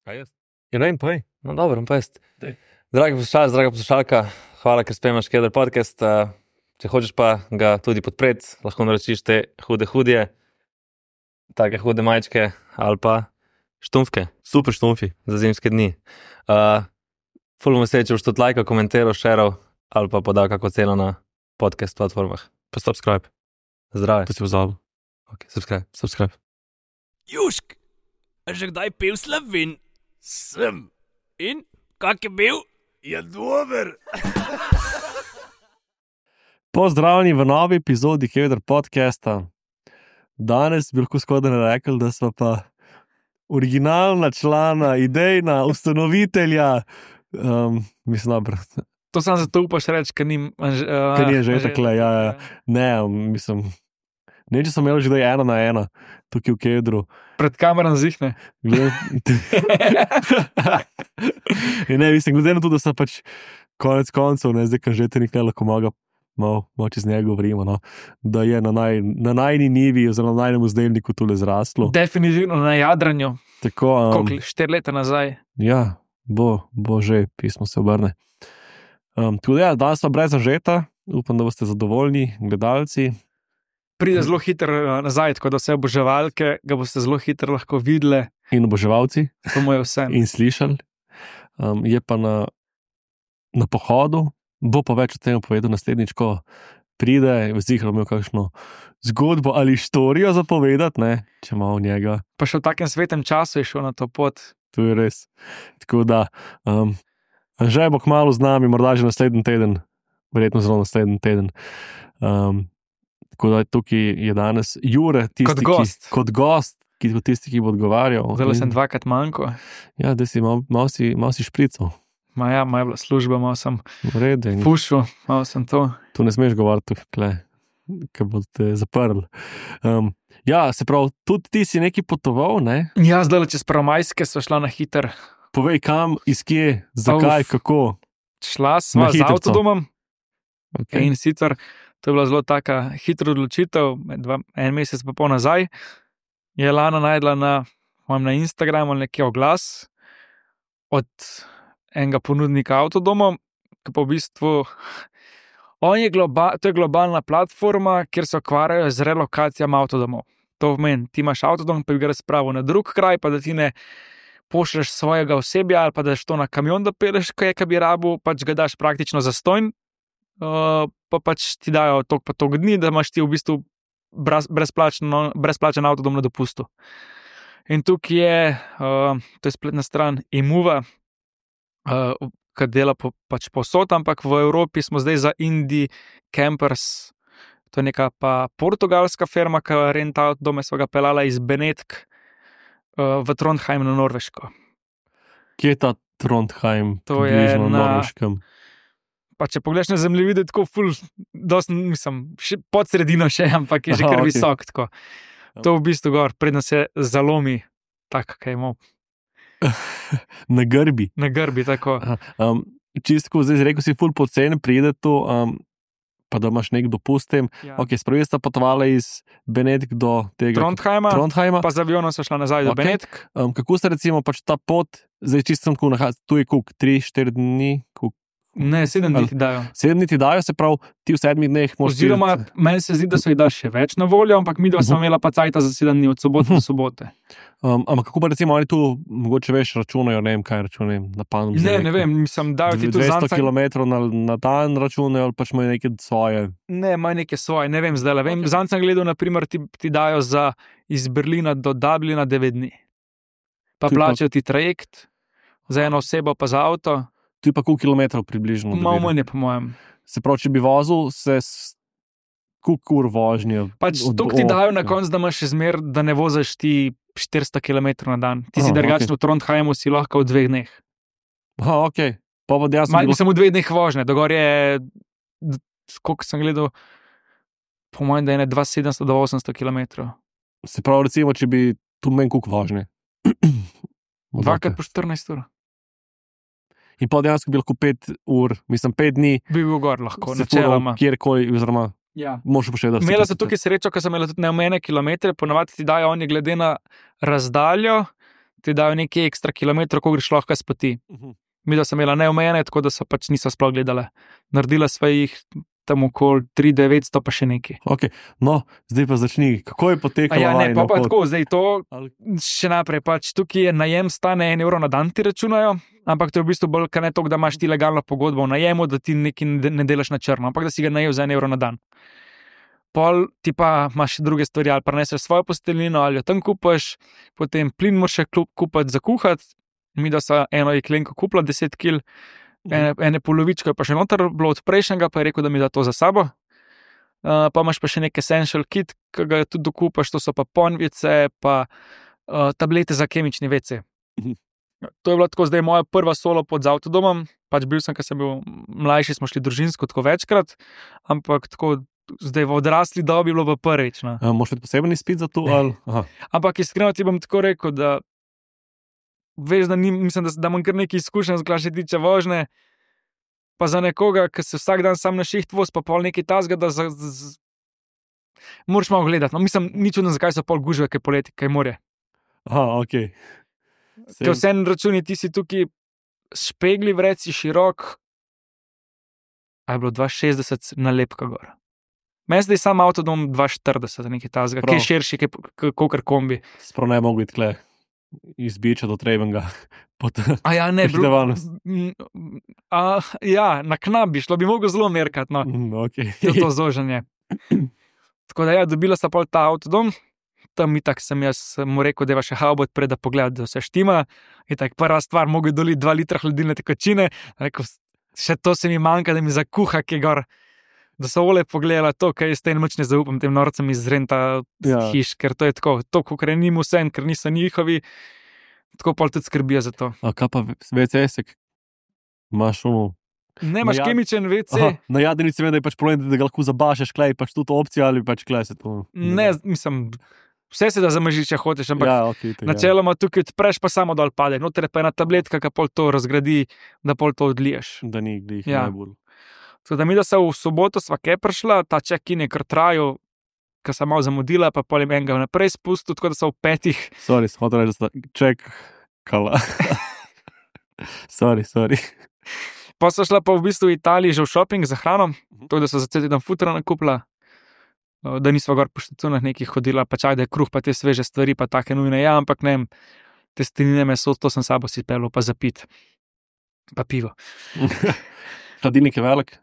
Kaj jaz? Ja, ne vem, povej. No, dobro, pa jaz. Daj. Dragi poslušalec, draga poslušalka, hvala, ker spremljaš Keder podcast. Če hočeš pa ga tudi podpreti, lahko naročiš te hude, take hude majčke ali pa štumfke. Super štumfi. Za zimske dni. Ful bom vesel, če boš tudi lajkal, komentiral, šeral ali pa podal kako ceno na podcast platformah. Pa subscribe. Zdrave. To si pozabil. Ok, subscribe. Subscribe. Južk, a že kdaj pil Slovin? Sem. In, kak je bil? Je dober. Pozdravljeni v novi epizodi Keder podcasta. Danes bi lahko skoraj rekel, da smo pa originalna člana, idejna, ustanovitelja. Mislim, dobro. To sam zato upaš reči, ker ni... Ker ni že takle, ja. Ne, mislim... Ne, če sem imel že 1 na 1, tukaj v Kedru. Pred kamerom zihne. Ne, mislim, glede na to, da sem pač konec koncev, ne, zdaj, kan že te nekaj lahko malo čez njega govorimo, no, da je na najni nivi oziroma na najnem vzdelniku tule zraslo. Definitivno na jadranju. Tako, 4 leta nazaj. Ja, bo že, pismo se obrne. Tako da ja, danes pa brez Anžeta, upam, da boste zadovoljni, gledalci. Pride zelo hitro nazaj, tako da vse oboževalke ga boste zelo hitro lahko videli. In oboževalci. To mu je vse. In slišali. Je pa na pohodu, bo pa več o tem povedal naslednjič, ko pride, vzihral imel kakšno zgodbo ali štorijo zapovedati, ne, če malo njega. Pa še v takem svetem času je šel na to pot. To je res. Tako da, Anže bo kmalu z nami, morda že naslednji teden, verjetno zelo naslednji teden. Tako da tukaj je danes Jure, tisti, kot gost, tisti, ki bo odgovarjal. Zdaj sem 2krat manjko. Ja, da si malo si šprical. Moja je bila služba, malo sem Vrede, fušil, malo sem to. Tu ne smeš govoriti, ker boste zaprli. Ja, se pravi, tudi ti si neki potoval, ne? Ja, zdaj čez Prvomajske sva šla na hiter. Povej kam, iz kje, zakaj, kako? Šla sva z avtodomom. Okay. In sicer to je bila zelo taka hitra odločitev, 1 mesec pa pol nazaj. Je Lana najdla na Instagramu nekaj oglas od enega ponudnika avtodomov, ki pa v bistvu to je globalna platforma, kjer se ukvarjajo z relokacijami avtodomov. To pomeni, ti imaš avtodom, pa bi ga razpravil na drug kraj, pa da ti ne pošlješ svojega osebja ali pa daš to na kamion, da peleš, kaj bi rabil, pač ga daš praktično zastonj. Pa pač ti dajo toliko dni, da imaš ti v bistvu brezplačen avtodom na dopustu. In tukaj je, to je spletna stran Imuva, ki dela pač povsod, ampak v Evropi smo zdaj za Indie Campers, to je neka pa portugalska firma, ki renta avtodome, sva ga pelala iz Benetk v Trondheim na Norveško. Kje je ta Trondheim? To je na Norveškem. Pa če pogledaš na zemljevide, tako ful, dost, mislim, pod sredino še, ampak je že kar visok, tako. To v bistvu gor, predno se zalomi, tako, kaj imel. Na grbi. Na grbi, tako. Čistko, zdaj rekel si ful pocen, pride to, pa da imaš nek dopust tem. Ja. Ok, spravo sta potovala iz Benetk do tega Trondheima, pa z avionom so šla nazaj do Benetk. Kako sta recimo pač ta pot, zdaj čisto sem tako nahajal, tu je koliko, 3-4 dni, Ne, 7 dni ti dajo. 7 dni ti dajo, se pravi, ti v 7 dneh moraš... Oziroma, meni se zdi, da so ji daš še več na voljo, ampak mi dva smo imela pa cajta za 7 dni od sobote do sobote. Ampak kako pa recimo oni tu, mogoče veš, računajo, ne vem kaj računajo, na panom. Ne vem, mislim, dajo ti tu 200 km na dan računajo, ali pač imajo neke svoje? Ne, imajo neke svoje, ne vem zdaj, vem. Okay. Zanj sem gledal, naprimer, ti dajo za iz Berlina do Dublina 9 dni. Pa plačajo ti trajekt, za eno osebo pa za avto. Tu je pa koliko kilometrov približno? Malo manj je, po mojem. Se pravi, če bi vozil, koliko ur vožnje? Pač toliko ti dajo na koncu, da imaš zmer, da ne voziš ti 400 km na dan. Ti si drugačno v Trondheimu, si lahko v 2 dneh. Ok. Pa dejansko... Mislim, v 2 dneh vožnje. Dogor je, koliko sem gledal, po mojem, da je 2700 do 800 km. Se pravi, recimo, če bi tu menj koliko vožnje? 2x po 14 ur. In pa dejansko bi lahko 5 ur, mislim 5 dni. Bi bil gor lahko, načeloma. Kjerkoli, oziroma, moraš pa še dati. Imela sem tukaj srečo, ker sem imela tudi neomejene kilometre, ponavadi ti dajo oni glede na razdaljo, ti dajo nekaj ekstra kilometrov, ko greš lahko s poti. Mi da sem imela neomejene, tako da so pač niso sploh gledala. Naredila sva jih tam okoli 3-900 pa še nekaj. Okay. No, zdaj pa začni. Kako je potekalo? Ja, ne, pa tako, zdaj to še naprej, pač tukaj je najem stane 1 evro na dan ti računajo, ampak to je v bistvu bolj, kaj ne toliko, da imaš ti legalno pogodbo v najemu, da ti nekaj ne delaš na črno, ampak da si ga najel za 1 evro na dan. Pol ti pa imaš še druge stvari, ali pa neseš svojo posteljnino, ali jo tam kupaš, potem plin moraš še kupati za kuhati. Mi da so eno jeklenko kupila 10 kg, ene polovičke pa še noter bilo od prejšnjega, pa je rekel, da mi da to za sabo. Pa imaš pa še nek essential kit, ki ga tudi dokupaš, to so pa ponvice, pa tablete za kemični WC. To je bilo tako zdaj moja prva solo pod z avtodomom, pač bil sem, ko sem bil mlajši, smo šli družinsko tako večkrat, ampak tako zdaj v odrasli dobi bilo pa prvič. No. Moš imeti poseben izpit za to? Ampak iskreno ti bom tako rekel, da veš, da mislim, da imam kar nekaj izkušenj, kar se tiče vožnje, pa za nekoga, ki se vsak dan sam na šiht voz, pa pol nekaj tasga, da moraš malo gledati. No, mislim, ni čudno, zakaj so pol gužve, kaj poleti, kaj morje. Ok. Ker vse na računi, ti si tukaj špegli vred, si širok, a je bilo 2,60 na lepka gor. Meni zdaj sam avtodom 2,40, nekaj tasga, kaj širši, kakor kombi. Sprav ne mogu biti tle. Izbiča do Trebenga. Ja, ne, na knap bi šlo, bi mogel zelo merkati, no. Okay. To zožanje. Tako da ja, dobila sta pol ta avtodom, tam itak sem jaz mu rekel, da je še haubot pred, da pogleda, da vse štima. Itak prva stvar, mogel doliti 2 litra hladilne tekočine, rekel, še to se mi manjka, da mi zakuha, ki gor. Da so ole pogledala to, kaj jaz tem moč ne zaupam tem norcem iz renta hiš, ker to je tako, kot je njim vse, ker niso njihovi, tako pol tudi skrbijo za to. A kaj pa WC-sek? Imaš Ne, imaš kemičen WC. Na jadrnici vem, da je pač problem, da ga lahko zabašeš, klej pač tudi opcija ali pač klej se to. Ne, mislim, vse se da zamažiti, če hočeš, ampak načeloma tukaj odpreš, pa samo dol pade. Noter je pa ena tabletka, ki pol to razgradi, da pol to odliješ. Da ni glih najbolj. Tako da mi, da se v soboto sva kaj prišla, ta check-in je kar trajal, ko sem malo zamudila, pa potem enega naprej spustil, tako da so v 5. Sorry, smo to reči, da sta čekala. Sorry. Pa so šla pa v bistvu v Italiji že v shopping za hrano, tako da so za cel teden futra nakupila, da nisva gor po štacunah nekih hodila, pa čak, da je kruh, pa te sveže stvari, pa take nujne, ja, ampak ne, testenine meso, to sem sabo si pelil, pa za pit, pa pivo. Hladilnik je velik?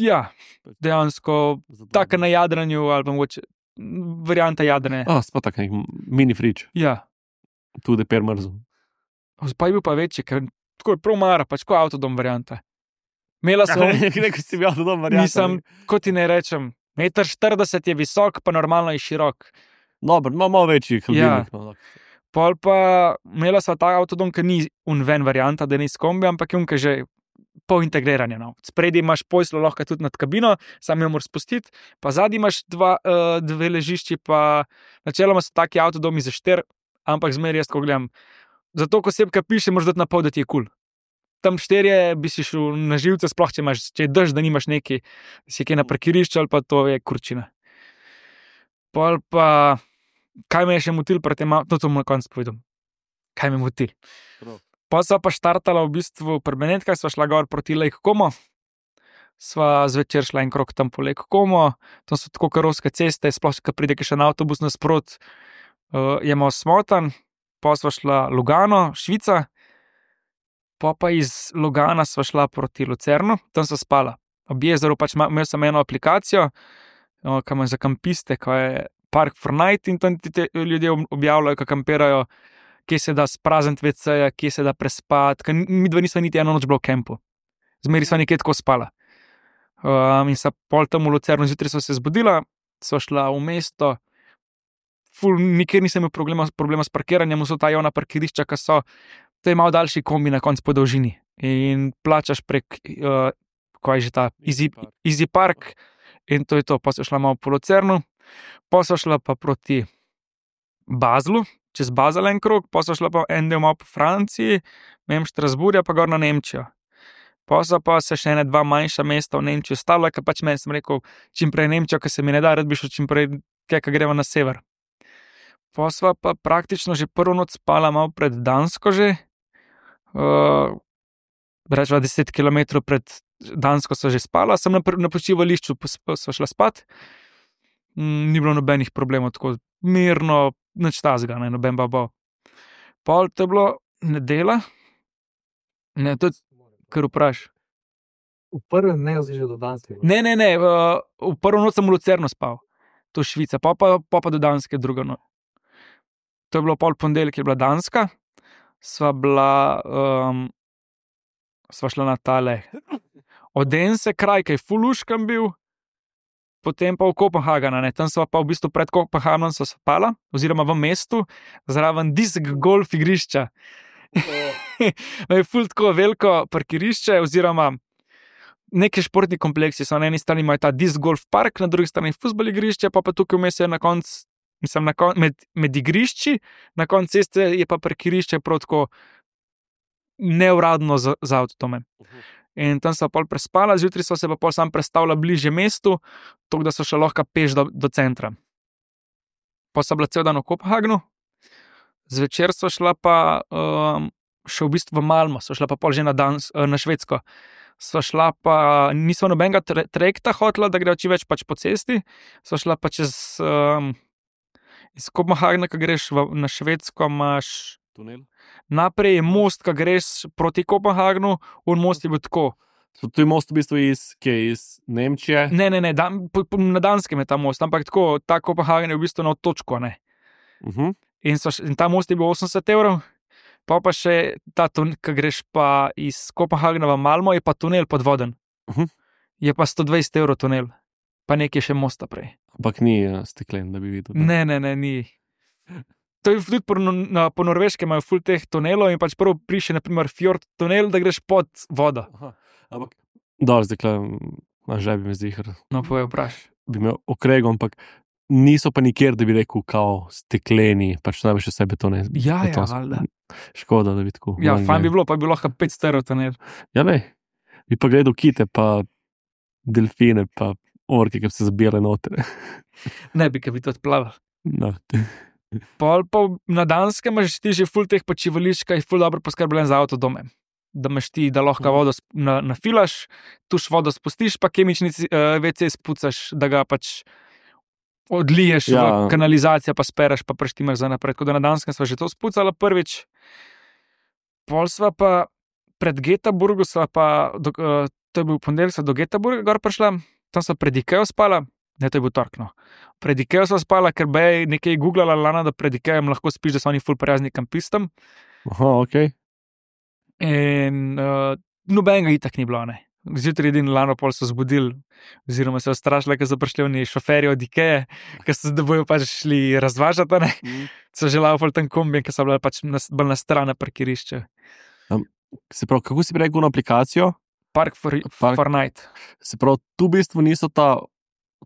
Ja, dejansko tako na jadranju, ali pa mogoče varianta jadrne. Sploh tak nek mini frič. Ja. Tudi per mrzu. Pa je bil pa večji, ker tako je prav mara, pač ko avtodom varianta. Imela sem... Nekaj si bil avtodom varianta. Nisem, kot ti ne rečem, 1,40 m je visok, pa normalno je širok. Dobro, malo večji hladilnik. Ja. Pol pa imela sva ta avtodom, ki ni unven varianta, da ni s kombi, ampak je unka že pol integriranja. No. Spredi imaš poslo lahko tudi nad kabino, sam jo moraš spustiti, pa zadnji imaš dve ležišči, pa načeloma so taki avtodomi za 4, ampak zmeraj jaz, ko gledam, zato ko sebka piše, moraš dati na pol, da ti je kul. Tam 4 bi si šel na živce, sploh če je dež, da nimaš neki, si kaj na parkirišču, ali pa to je kurčina. Pol pa, kaj me je še motil pri tem, to bom na koncu povedal. Kaj me motil? Pa sva pa štartala v bistvu pri Benetkah, sva šla gor proti Lake Como, sva zvečer šla en krog tam po Lake Como, tam so tako karovske ceste, sploh, ko pride še na avtobus nasprot, je malo smotan, pa sva šla Lugano, Švica, pa iz Lugana sva šla proti Lucernu, tam sva spala. Ob jezeru pač imel sem eno aplikacijo, ki ima za kampiste, ko je Park for Night, in tam ti ljudje objavljajo, ko kampirajo, kje se da sprazniti WC-ja, kje se da prespati, ker mi dva nisva niti eno noč bila v kempu. Zmeri sva nekje tako spala. In sa pol tam v Lucernu zjutraj sva se zbudila, sva šla v mesto, nikjer nisem imel problema s parkiranjem, so ta javna parkirišča, ki so, to je malo daljši kombi na koncu po dolžini. In plačaš prek, kaj je že ta, Easy Park, in to je to, pa sva šla malo po Lucernu, pa sva šla pa proti Baslu, čez Basel en krog, pa so šla pa en del malo po Franciji, Strasburja, pa gor na Nemčijo. Pa so pa se še 2 manjša mesta v Nemčiji ostala, ker pač meni sem rekel, čim prej Nemčijo, ker se mi ne da, rad bi šel čim prej, kaj gremo na sever. Pa sva pa praktično že prvo noč spala malo pred Dansko že. Rečeva 10 km pred Dansko sva že spala, sem na počivališču sva šla spat. Ni bilo nobenih problemov, tako mirno, nič tazga, ne, noben babo. Pol to je bilo nedela. Ne, to je, kar vpraš. V prvem dnevu si že do Danske. Ne, v prvo noč sem v Lucerno spal. To je Švica, pa do Danske drugo noč. To je bilo pol ponedeljek, je bila Danska. Sva šla na tale Odense kraj, ki je fuluškam bil, potem pa v Kopenhagen, ne, tam sva pa v bistvu pred Kopenhagnom sva spala, oziroma v mestu, zraven disk golf igrišča. Je ful tako veliko parkirišče, oziroma neki športni kompleksi so na eni strani imajo ta disk golf park, na drugi strani fuzbol igrišče, pa tukaj vmes je na koncu, med igrišči, na koncu ceste je pa parkirišče prav tako neuradno za avtodome. In tam sva pol prespala, zjutraj sva se pa pol sam prestavila bliže mestu, tako da so šla lahko peš do centra. Pa sva bila cel dan v Kopenhagnu, zvečer sva šla pa še v bistvu v Malmo, sva šla pa pol že na Švedsko. Sva šla pa, nisva nobenega trajekta hotela, da gre čim več pač po cesti, sva šla pa čez iz Kopenhagna, ko greš na Švedsko, imaš Tunel. naprej je most, ko greš proti Kopenhagnu, on most je bil tako. To je most v bistvu iz Nemčije. Ne, na Danskem je ta most, ampak tako, ta Kopenhagen je v bistvu na točko, ne. In ta most je bil 80 €, pa še ta, ko greš pa iz Kopenhagna v Malmo, je pa tunel podvoden. Je pa 120 € tunel, pa nekaj še mosta prej. Ampak ni steklen, da bi videl. Ne, ni. To je tudi po Norveškem imajo ful teh tunelov in pač prvo prišel, naprimer, fjord tunel, da greš pod vodo. Ampak, dobro, zdaj že bi me zihar. No, povej, vpraš. Bi me okregal, ampak niso pa nikjer, da bi rekel, kao stekleni, pač največ vse betone. Ja, valjda. Škoda, da bi tako. Ja, fajn bi bilo, pa bi lahko 500 € tunel. Ja, ne. Bi pa gledal kite, pa delfine, pa orke, ki bi se zabijale noter. Ne bi, ki bi to odplaval. No. Pol pa na Danskem imaš ti že ful teh počivališč, ki je ful dobro poskrbljen za avtodome. Da imaš ti, da lahko vodo nafilaš, tuš vodo spustiš, pa kemični WC spucaš, da ga pač odliješ v kanalizacijo, pa spereš, pa preštimaš za naprej. Tako da na Danskem sva že to spucala prvič. Pol sva pa pred Göteborgu, to je bil ponedeljek, sva do Göteborga gor prišla, tam sva pred Ikeo spala. Ne, to je bil tork, no. Pred Ikeo sva spala, ker bi nekaj googlala Lana, da pred Ikeom lahko spiš, da so oni ful prijazni kampistom. Aha, okej. In nobenega itak ni bilo, ne. Zjutraj edin Lano pol so zbudili, oziroma se strašila, ker so prišli oni šoferji od Ikee, ker so da bojo pač šli razvažati, ne. So že laufali tam kombi, ker so bila pač bolj na stran parkirišče. Se pravi, kako si rekel na aplikacijo? Park for night. Se pravi, tu v bistvu niso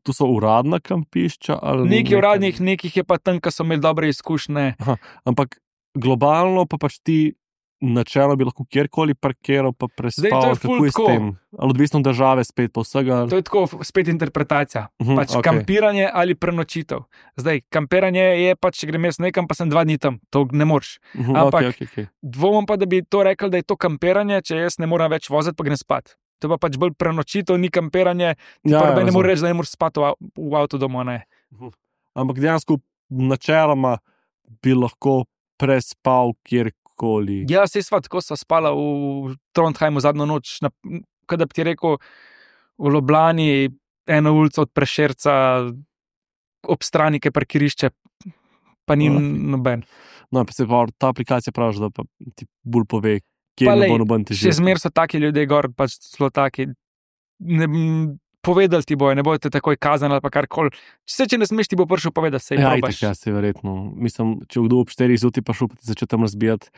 tu so uradna kampišča? Nekaj uradnih, nekih je pa tam, ki so imeli dobre izkušnje. Aha, ampak globalno pa pač ti načelo bi lahko kjerkoli parkiral, pa prespal, kako je s tem? Ali odvisno od države spet pa vsega? To je tako spet interpretacija. Pač kampiranje ali prenočitev. Zdaj, kampiranje je pač, če grem jaz nekam, pa sem 2 dni tam, to ne moreš. Ampak dvomim pa, da bi to rekel, da je to kampiranje, če jaz ne moram več voziti, pa grem spat. To pa pač bolj prenočitev, ni kampiranje, prve ne moreš reči, da ne moreš spati v avtodomu, ne. Ampak dejansko načeloma bi lahko prespal kjerkoli. Ja, saj sva, tako sva spala v Trondheimu zadnjo noč, kada bi ti rekel, v Ljubljani, eno ulico od Prešerca, ob strani, ki je parkirišče, pa ni noben. No, pa se pa ta aplikacija pravi, da pa ti bolj pove, kje ne bo noben težav. Še zmer so taki ljudje gor, pač zelo taki, povedali ti bojo, ne bojo te takoj kazali ali pa karkoli. Če ne smeš, ti bo prišel povedati, sej probaš. Ja, se verjetno. Mislim, če kdo ob 4 zjutraj pa šel, pa ti začne tam razbijati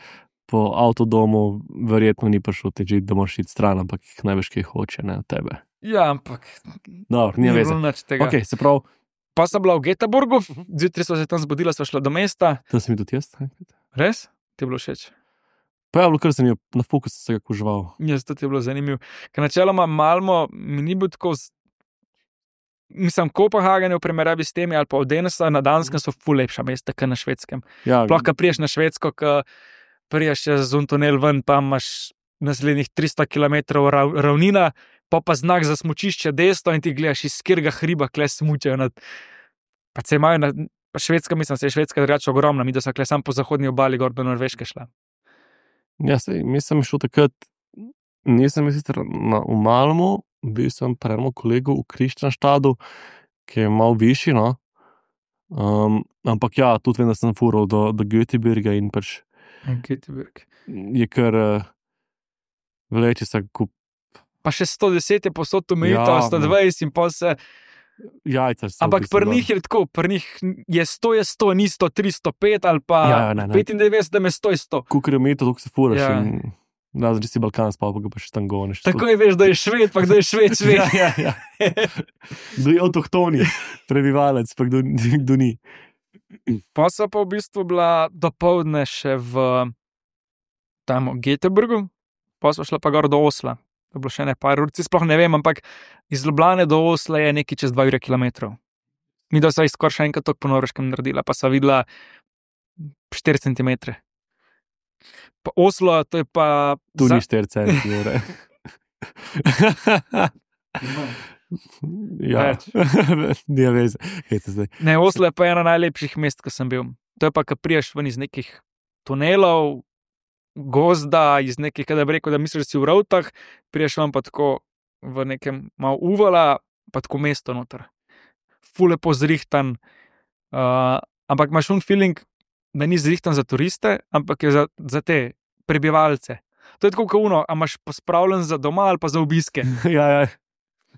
po avtodomu, verjetno ni prišel težiti, da moraš iti stran, ampak največ kaj hoče, ne, od tebe. Ja, ampak dobro, ni veze. Ok, se pravi. Pa sem bila v Göteborgu, zjutraj sva se tam zbudila, sva šla do mesta. Tam sem bil tudi jaz. Res? Ti je bilo všeč? Pa je bilo kar zanimivo, na fokus sem se ga kuževal. Jaz, to ti je bilo zanimivo. Ker načeloma Malmo mi ni bil tako mislim, Kopenhagen v primerjavi s temi ali pa Odense na Danskem so ful lepša mesta, kot na Švedskem. Ja, Sploh, ko priješ na Švedsko, ko priješ z un tunel ven, pa imaš naslednjih 300 km ravnina, pa znak za smučišče desno in ti gledaš iz katerega hriba, kle smučajo nad. Pa se imajo na Švedska, mislim, se je Švedska drugače ogromna, mi da so kle sam po zahodni obali gor do Norveške šla. ja, mislim, šel takrat, nisem sicer v Malmu, bil sem pri enem kolegu v Kristianstadu, ki je malo višji, no. Ampak ja, tudi vem, da sem fural do Göteborga in pač Göteborg. je kar vleče se kup Pa še 110 je posod omejitev, Ja, 120 in pol se. jajca. so v Ampak bistvu pri njih je tako, pri njih je 100, ni 100, 305 ali pa Ja, ne. 95, da me 100. Kukor je meter, toliko se furaš. Ja. Zdaj si Balkan spal, pa ga pa še tam goniš. Tako je, veš, da je Šved, pa kdo je Šved. Ja. Kdo je avtohtoni prebivalec, pa kdo ni. Pa so pa v bistvu bila dopoldne še v tam v Göteborgu, pa so šla pa gor do Osla. To je bilo še ne par ur, sploh ne vem, ampak iz Ljubljane do Osla je nekaj čez 2 km. Mi da so skoraj še enkrat toliko po Norveškem naredila, pa so videla 4 cm. Pa Oslo, to je pa. Tu ni 4 centimetre. Ja, Več. Nije veze. Hejte zdaj. Ne, Oslo je pa ena najlepših mest, ko sem bil. To je pa, ko priješ ven iz nekih tunelov, gozda, iz nekih, kada bi rekel, da misliš, da si v Ravtah, priješ vam pa tako v nekem malo uvala, pa tako mesto noter. Ful lepo zrihtan, ampak imaš feeling, da ni zrihtan za turiste, ampak je za te prebivalce. To je tako kot uno, a imaš pospravljen za doma ali pa za obiske. Ja.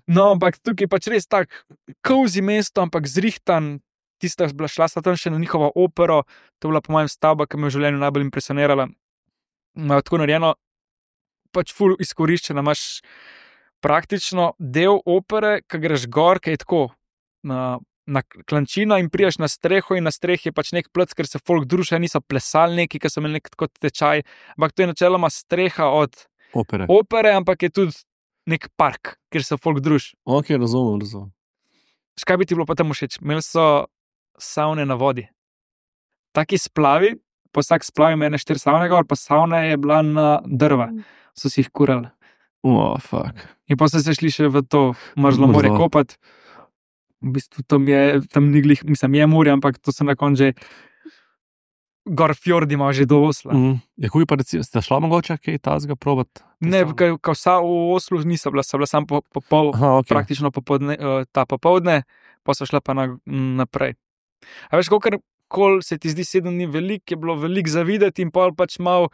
No, ampak tukaj je pač res tak cozy mesto, ampak zrihtan. Tista šla sta tam še na njihovo opero, to je bila po mojem stavba, ki me je v življenju najbolj impresionirala. Imajo tako narejeno, pač ful izkoriščena, imaš praktično del opere, ki greš gor, ki je tako na klančina in prijaš na streho in na strehi je pač nek plec, ker se folk družijo, niso plesali neki, ki so imeli nek tako tečaj, ampak to je načeloma streha od opere, ampak je tudi nek park, kjer se folk druži. Ok, razumem. Škaj bi ti bilo pa tam všeč? Imeli so savne na vodi. Taki splavi, po vsak splav je mene 4 savne gor, pa savna je bila na drva. So si jih kurali. Fuck. In pa so se šli še v to mrzlo morje kopati. V bistvu tam ni glih, mislim, je morje, ampak to so na koncu že gor fjordi ima že do Osla. Ja, kuj pa recimo, ste šla mogoče kaj tazga probat? Ne, ko vsa v Oslu niso bila, so bila sam praktično popoldne, pa so šla pa naprej. A veš, kolikor se ti zdi 7 dni veliko, je bilo veliko za videti in pol pač malo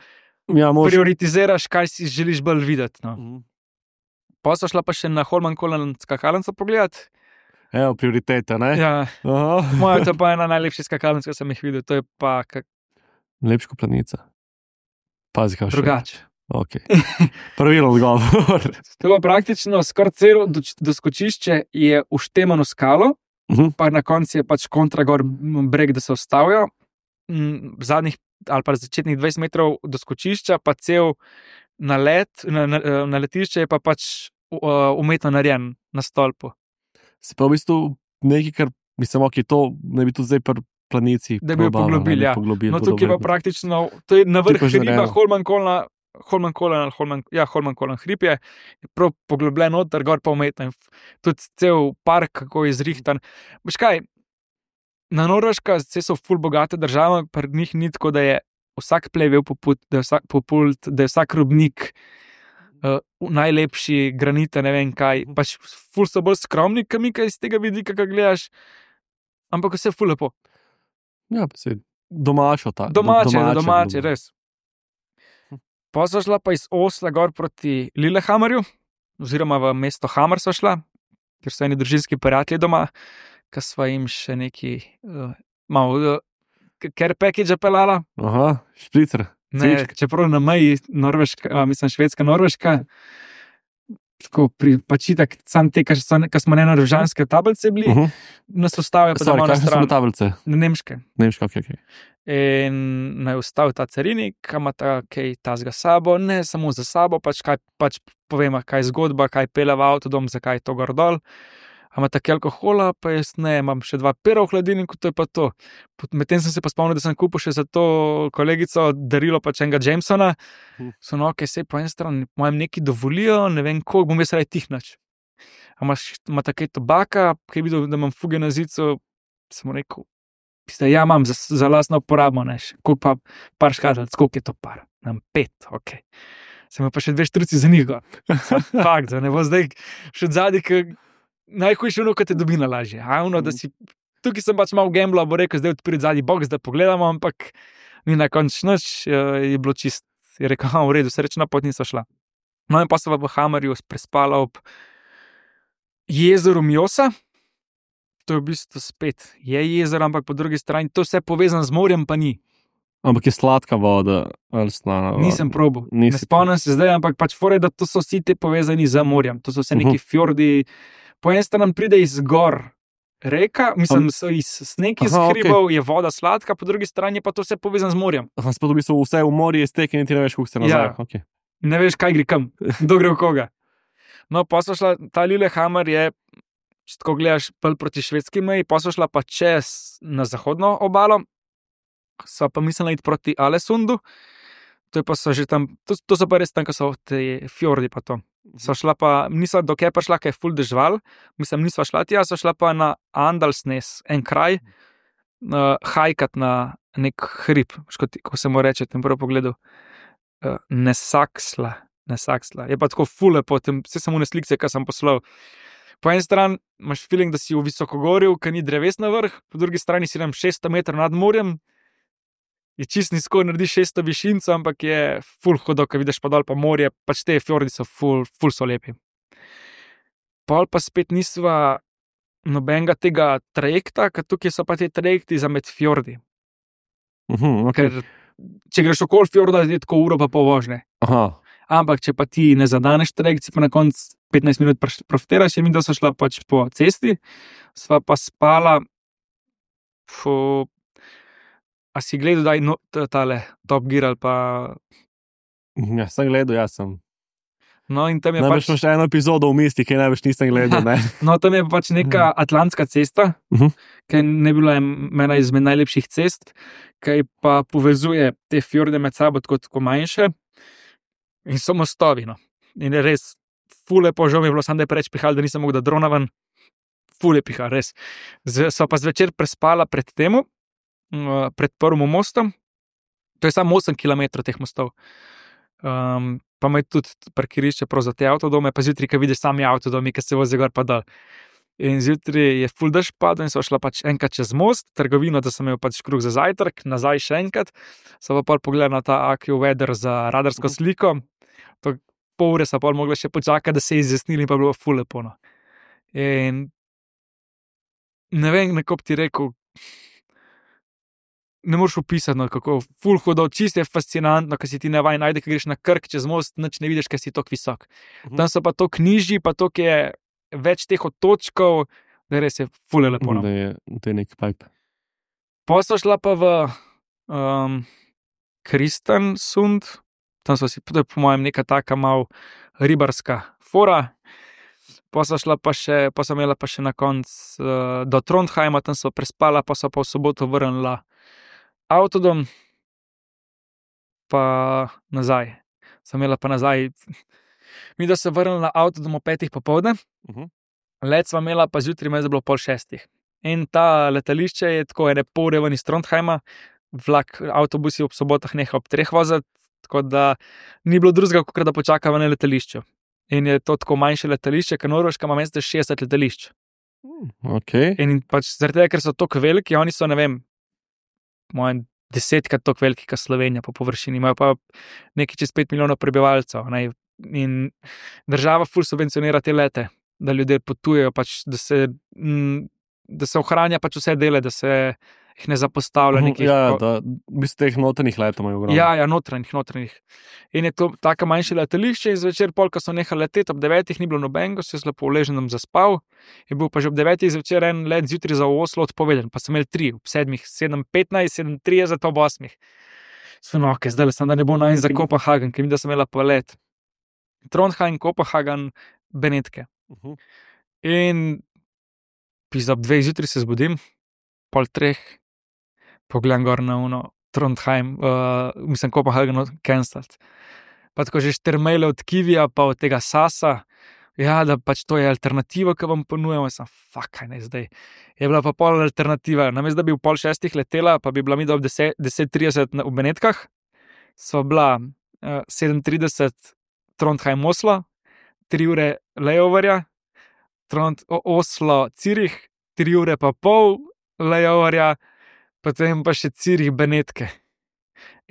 prioritiziraš, kaj si želiš bolj videti. No. Pa so šla pa še na Holmenkollen skakalnico pogledati. Evo, prioritete, ne? Ja. Moja, to je pa ena najlepših skakalnic, ki sem jih videl. To je pa Lepško planica. Pazi, kaj še. Drugače. Ok. Pravilno odgovor. To je pa praktično skoraj celo doskočišče je uštemano skalo, pa na koncu je pač kontragor breg, da se ustavijo. Zadnjih ali pa začetnih 20 metrov doskočišča, pa cel naletišče je pa pač umetno narejen na stolpu. Se pa v bistvu nekaj, kar mislim, ok, to ne bi tudi zdaj pri planici da bi jo poglobili, ja. No, tukaj pa praktično, to je na vrh hriba Holmenkollen hrib je prav poglobljen noter, gor pa umetno. Tudi cel park, kako je zrihtan. Veš kaj, na Norveška so ful bogate države, pri njih ni tako, da je vsak plevel poput, da je vsak robnik najlepši, granite, ne vem kaj. Pač ful so bolj skromni, kamika iz tega vidika, kaj gledaš, ampak vse ful lepo. Ja, pa se domačo ta. Domače, res. Pa so šla pa iz Osla gor proti Lillehammerju, oziroma v mesto Hamar so šla, ker so eni družinski prijatelji doma, ki sva jim še neki malo care package pelala. Aha, špricer. Ne, čeprav na meji Švedska, Norveška, tako pač itak, sam te, ki smo ne norvežanske tablice bili, nas ustavijo pa doma na stran. Tablice? Nemške. Ok. In naj ustavi ta carinik, ima ta kaj tazga sabo, ne samo za sabo, pač povema, kaj je zgodba, kaj pele v avtodom, zakaj je to gor dol. ima tako alkohola, pa jaz ne, imam še 2 pera v hladilniku, to je pa to. Medtem sem se pa spomnil, da sem kupil še za to kolegico darilo pač enega Jamesona. So no, ok, se po eni strani mojem neki dovolijo, ne vem, koliko bom jaz raje tihnač. Ima takaj tobaka, ki je videl, da imam fuge na zicu, sem mu rekel, ja, imam za lastno uporabo, ne, koliko pa par škatlic, koliko je to par? Nam 5, ok. Sem pa še 2 štruci za njih. Fakt, ne bo zdaj še zadnji, ki najhujše ono, ko te dobi na lažje. Tukaj sem pač malo gambla, bo rekel, zdaj odpiri zadnji box, da pogledamo, ampak ni na koncu nič, je bilo čist. Je rekel, v redu, srečna pot niso šla. No in pa sem v Hamarju prespala ob jezeru Mjosa. To je v bistvu spet je jezero, ampak po drugi strani to vse povezano z morjem pa ni. Ampak je sladka voda ali slana voda? Nisem probal. Ne spomnim se zdaj, ampak pač fore, da to so vsi te povezani z morjem. To so vse neki fjordi. Po eni strani pride iz gor reka, mislim, so iz sneg iz hribov, je voda sladka, po drugi strani pa to vse povezano z morjem. Sploh v bistvu vse v morju je stek in ti ne veš, kako se nazaj. Ja. Ne veš, kaj gre kam, kdo gre v koga. No, pa so šla, ta Lillehammer je, če tako gledaš, proti švedski meji, pa so šla pa čez na zahodno obalo, so pa mislila iti proti Alesundu, to je pa so že tam, to so pa res tam, ko so te fjordi pa to. So šla pa, niso dokaj pa šla, kaj je ful dežval, mislim, nisva šla tja, so šla pa na Andalsnes, en kraj, hajkat na nek hrib, ko se mu reče, tem prvo pogledu, Nesaksla. Je pa tako ful lepo, vse samo ne slikce, kaj sem poslal. Po eni strani imaš feeling, da si v visokogorju, ker ni dreves na vrh, po drugi strani si tam 600 metrov nad morjem, je čist nizko, narediš 600 višinco, ampak je ful hodo, ko vidiš pa dol pa morje, pač te fjordi so ful so lepi. Pol pa spet nisva nobenega tega trajekta, ker tukaj so pa te trajekti za med fjordi. Okay. Ker če greš okoli fjorda, je tako uro pa pol vožnje. Ampak če pa ti ne zadaneš trajekt, si pa na koncu 15 minut profitiraš, in mi da so šla pač po cesti, sva pa spala a si gledal, da je tale Top Gear ali pa... Ja, sem gledal, jaz sem. No, in tam je pač... Največ še eno epizodo v misti, ki največ nisem gledal, ne? No, tam je pač neka atlantska cesta, ki ne bila ena izmed najlepših cest, ki pa povezuje te fjorde med sabo tako manjše in so mostovi, no. In je res ful lepo, žal mi je bilo samo, da je preveč pihal, da nisem mogel da drona ven. Ful je pihal, res. So pa zvečer prespala pred temu, pred prvim mostom, to je samo 8 km teh mostov. Pa ima tudi parkirišče prav za te avtodome, pa zjutraj, ko vidiš sami avtodomi, ki se vozi gor pa dol. In zjutraj je ful dež padel in so šla pač enkrat čez most, trgovino, da sem imel pač kruh za zajtrk, nazaj še enkrat, so pa pogledali na ta AccuWeather za radarsko sliko, to pol ure so pa mogli še počakati, da se je izjasnili in pa bilo ful lepo, no. In ne vem, nekako ti rekel, ne moreš opisati, no, kako ful hodo, čist je fascinantno, ko si ti nevaj najde, ko greš na Krk čez most, nič ne vidiš, ker si tok visok. Tam so pa to knjiži, pa to, ki je več teh otočkov, da res je ful lepo. No. Da je nek pipe. Pa so šla pa v Kristiansund, tam so si, to je po mojem neka taka mal ribarska fora. Pa so šla pa še, pa so imela pa še na konc do Trondheima, tam so prespala, pa so pa v soboto vrnila avtodom, pa nazaj. Sem imela pa nazaj, mi da se vrnila na avtodom o 5 popoldne, let sva imela pa zjutraj, me je bilo 5:30. In ta letališče je tako ene pol ure ven iz Trondheima, vlak, avtobusi ob sobotah neha ob 3 voziti, tako da ni bilo drugega, kot da počakava na letališču. In je to tako manjše letališče, ker Norveška ima mesto 60 letališč. Okay. In pač zaradi tega, ker so tako veliki, oni so, ne vem, 10krat tako veliki, kot Slovenija po površini, imajo pa nekaj čez 5 milijonov prebivalcev, ne? In država ful subvencionira te lete, da ljudje potujejo, pač, da se ohranja pač vse dele, da se jih ne zapostavlja nekih... Ja, da v bistvu teh notranjih letov imajo ogromno. Ja, notranjih. In je to tako manjše letališče in zvečer pol, ko so nehali leteti, ob 9 ni bilo nobenega, se je lepo uleženem zaspal, je bil pa že ob 9 zvečer en let zjutraj za Oslo odpovedен, pa sem imel 3, ob 7, 7:15, 7:30, ob 8. Sveno, ok, zdaj sem, da ne bo najn za Kopenhagen, ker mi da sem imela pa let. Trondheim, Kopenhagen, Benetke. In Pisa ob 2 zjutraj se zbudim, 2:30, pogledam gor na uno, Trondheim, mislim, Kopenhagen cancelled. Pa tako že 4 maile od Kivija, pa od tega Sasa, ja, da pač to je alternativa, ki vam ponujamo. Sem, kaj ne zdaj. Je bila pa pol alternativa. Namesto da bi v 5:30 letela, pa bi bila mi do 10:30 v Benetkah, sva bila 7:30 Trondheim-Oslo, 3 ure layoverja, Oslo-Cirih, 3 ure pa pol layoverja, potem pa še Cirih-Benetke.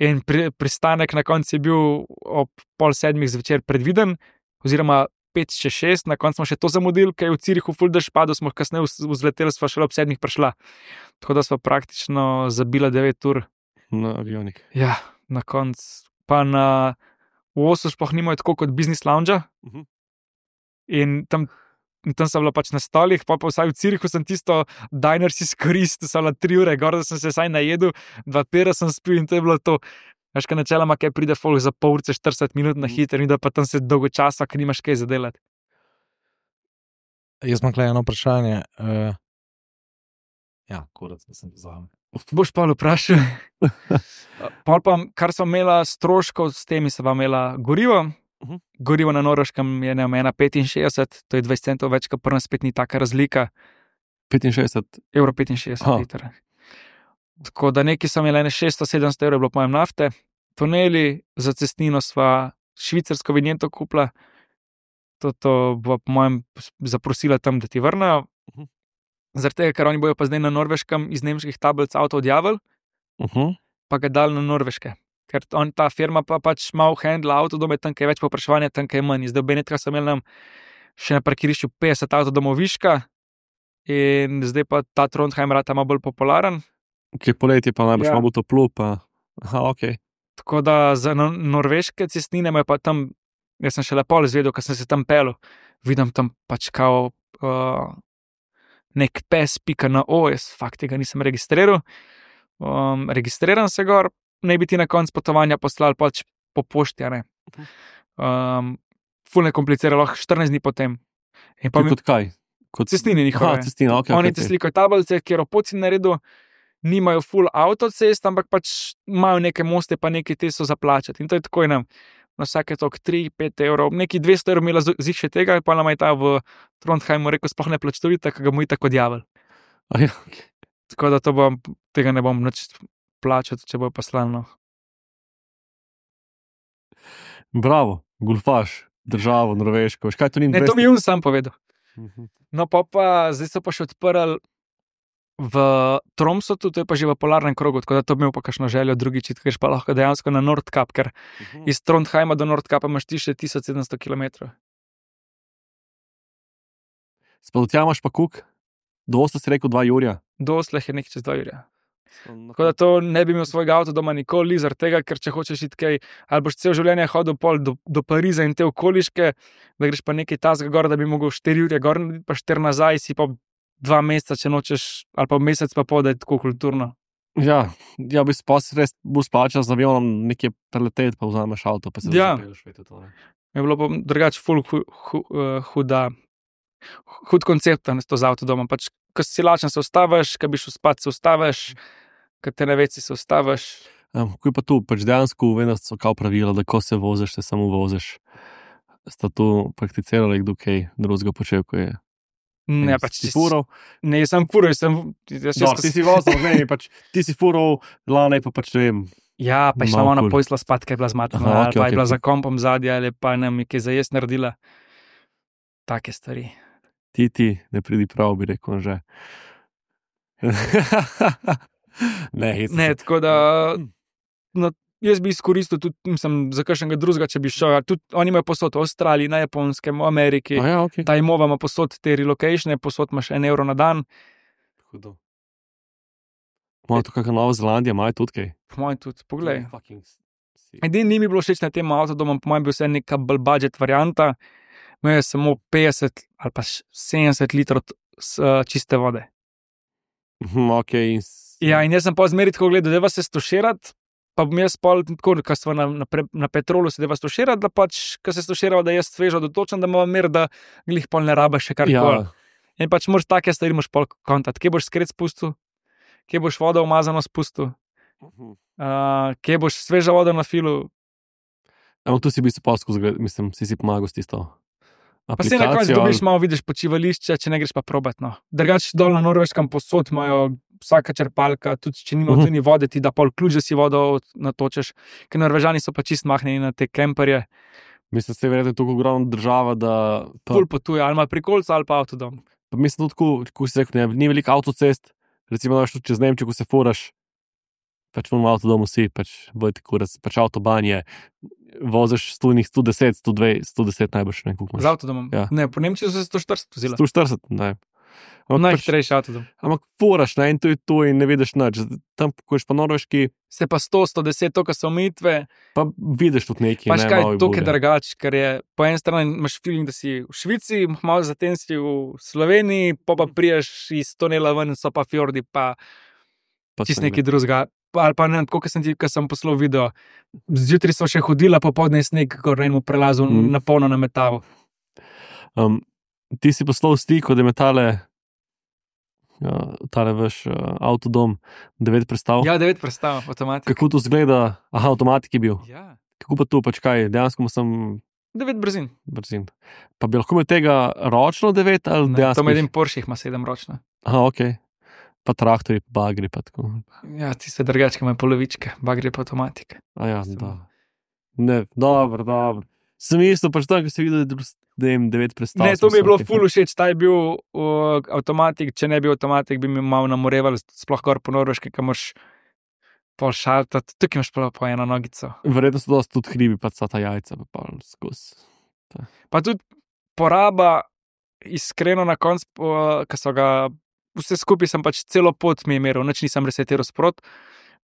In pristanek na koncu je bil ob 6:30 zvečer predviden, oziroma 5:06, na koncu smo še to zamudili, ker je v Cirihu ful dež padel, smo kasneje vzleteli, sva šele ob 7:00 prišla. Tako da sva praktično zabila 9 ur. Na avionik. Ja, na koncu. Pa v Oslu sploh nimajo tako kot business lounge. In tam sem bila pač na stolih, pa vsaj v Cirihu sem tisto diner si izkoristil, sem bila 3 ure gor, da sem se vsaj najedel, 2 pera sem spil in to je bilo to. Veš, kaj načeloma, kaj pride folk za pol ure, 40 minut na hiter in da pa tam se dolgo časa, ker nimaš kaj zadelati. Jaz imam tukaj eno vprašanje. Ja, kurac, da sem pozval. Boš pa vprašal. Pol pa, kar sem imela stroškov, s temi sem imela gorivo. Gorivo na Norveškem je 1,65, to je 20 centov več, kar prvo spet ni taka razlika. 65 65 litra. Tako da nekaj sem imela 600-700 evrov, je bilo po mojem nafte. Tuneli, za cestnino sva švicarsko vinjeto kupila. To bo po mojem zaprosila tam, da ti vrnejo. Zaradi tega, ker oni bojo pa zdaj na Norveškem iz nemških tablic avto odjavili, pa ga dali na Norveške. Ker ta firma pa pač malo handla avtodome, tam je več povpraševanja, tam je manj. Zdaj v Benetkah sem imel še na parkirišču 50 avtodomov viška in zdaj pa ta Trondheim rata malo bolj popularen. Ki poletje pa najbolj malo toplo, pa ok. Tako da za norveške cestnine imajo pa tam, jaz sem še lepo izvedel, ker sem se tam pelil, vidim tam pač kao nek pes.no, jaz fakt tega nisem registriral. Registriram se gor, naj bi ti na konc potovanja poslali pač po pošti, ne. Ful ne komplicira, lahko 14 dni potem. Kot kaj? Kot cestnine njihove. Cestnine, ok. Oni ti slikajo tablice, kjer opoci naredil, nimajo full avtocest, ampak pač imajo neke moste, pa neke te so zaplačati. In to je tako na vsake tok 3-5 evrov, neki 200 evrov imela zih še tega, pa nam je ta v Trondheimu rekel, sploh ne plačujte, ker ga mu je tako odjavil. Ja, okay. Tako da tega ne bom nič plačal, če bo pa slavno. Bravo, gulfaš, državo, Norveško. Kaj to ni? Ne, to mi je sam povedal. No pa zdaj so pa še odprli v Tromsotu, to je pa že v polarnem krogu, tako da to bi imel pa kakšno željo drugič, ker pa lahko dejansko na Nordkap, ker iz Trondheima do Nordkapa imaš ti še 1700 km. Spodotja imaš pa kuk? Do Osla si rekel 2 jurja? Do Osla je nekaj čez 2 jurja. Tako da to ne bi imel svojega avto doma nikoli, zaradi tega, ker če hočeš iti kaj, ali boš cel življenje hodil pol do Pariza in te okoliške, da greš pa nekaj tasga gor, da bi mogel 4 ure gor, pa 4 nazaj, si pa 2 meseca, če nočeš, ali pa mesec pa pol, da je tako kulturno. Ja, bi se res bolj splačal z avionom nekje preleteti, pa vzameš avto, pa se zapeleš. Je bilo pa drugače ful hud koncept to z avtodomom. Pač, ko si lačen, se ustaviš, ko bi šel spat, se ustaviš, ko te ne veci, se ustaviš. Ko je pa tu, pač dejansko vedno so kao pravila, da ko se voziš, se samo voziš. Sta tu prakticirali, kdo kaj drugega počel, ko je. Ne, pač si furov. Ne, jaz sem furov, ti si vozil, ne, pač ti si furov, lane pa pač ne vem. Ja, pa je šla ona pojsla spat, kaj je bila zmatna, ali pa je bila za kompom zadnja, ali pa ne, kaj za jaz naredila. Take stvari. Ti, ne pridi prav, bi rekel, že. Ne, tako da jaz bi izkoristil tudi, mislim, za kakšnega drugega, če bi šel. Tudi oni imajo posod v Avstraliji, na Japonskem, v Ameriki. Okay. Ta imova ima posod te relocatione, posod imaš 1 evro na dan. Hudo. Moja to kakšna Nova Zelandija, imajo tudi kaj? Po mojem tudi, poglej. Edini ni mi bilo všeč na tem avtodomom, po mojem bi vse neka bolj budget varianta. Imel je samo 50 ali pa 70 litrov čiste vode. Okay. Ja, in jaz sem pa zmeri tako gledal, da vas se stoširati, pa bom jaz pol, tako, ko smo na petrolu se deva stoširati, da pač, ko se stoširava, da jaz svežo dotočam, da imam mir, da glih pol ne rabaš še karkoli. Ja. In pač moraš take stvari moraš pol kontati, kje boš skret spustil, kje boš vodo umazano spustil, kje boš sveža voda na filu. Ampak tu si v bistvu polsko, mislim, si pomagal s tisto. Pa si na koncu dobiš malo, vidiš počivališče, če ne greš pa probat. No. Drugače dol na Norveškem posod imajo vsaka črpalka, tudi če nima tudi vode, ti da pol ključ, da si vodo natočeš, ker Norvežani so pa čist mahnjeni na te kemperje. Mislim, da je verjetno tako ogromna država, da... Ful potuje, ali ima prikolca ali pa avtodom. Pa mislim tudi, ko si rekel, ni veliko avtocest, recimo daš tudi čez Nemčijo, ko se furaš, pač v avtodomu si, pač vojte kurac, pač avtoban je, voziš 110, 110 najbrž, ne, koliko imaš. Z avtodomom? Ja. Ne, po Nemčiji so se 140 vozila. 140, ne. Najhitrejši avtodom. Ampak furaš, ne, in to je to in ne vidiš nič. Tam, ko ješ pa Norveški, Se pa 100, 110, to, kar so omejitve, pa vidiš tudi nekaj. pač ne, kaj, malo to bolje. je drugače, ker je po eni strani imaš feeling, da si v Švici, malo zatem si v Sloveniji, pa priješ iz tunela ven, so pa fjordi, pa Pa čist sem, nekaj drugega. Ali pa ne, tako, ko sem poslal video, zjutraj so še hodila, popoldne je sneg, ko rejmo prelazu na polno na metavu. Ti si poslal sliko, da je tale vaš avtodom 9 prestav. Ja, 9 prestav, avtomatik. Kako to zgleda? Aha, avtomatik je bil. Ja, Kako pa to, pač kaj, dejansko sem 9 brzin. brzin. Pa bi lahko imel tega ročno 9 ali Ne, dejansko? to med en Porsche ima 7 ročna. Aha, ok. Pa traktori, bagri, pa tako. Ja, tiste drugačke imajo polovičke, bagri pa avtomatik. A ja, da. Ne, dobro. Sem isto, pač tam, ko si videl, da jim 9 prestav. Ne, to mi je bilo ful všeč, ta je bil avtomatik, če ne bi bil avtomatik, bi mi malo namoreval, sploh gor po Norveški, kam moraš pol šaltati, tukaj imaš po eno nogico. Verjetno so dosti tudi hribi, pa ta jajca, pa pol skozi. Pa tudi poraba, iskreno na koncu, ko so ga, vse skupaj sem pač celo pot mi je meril, nič nisem resetiral sprot,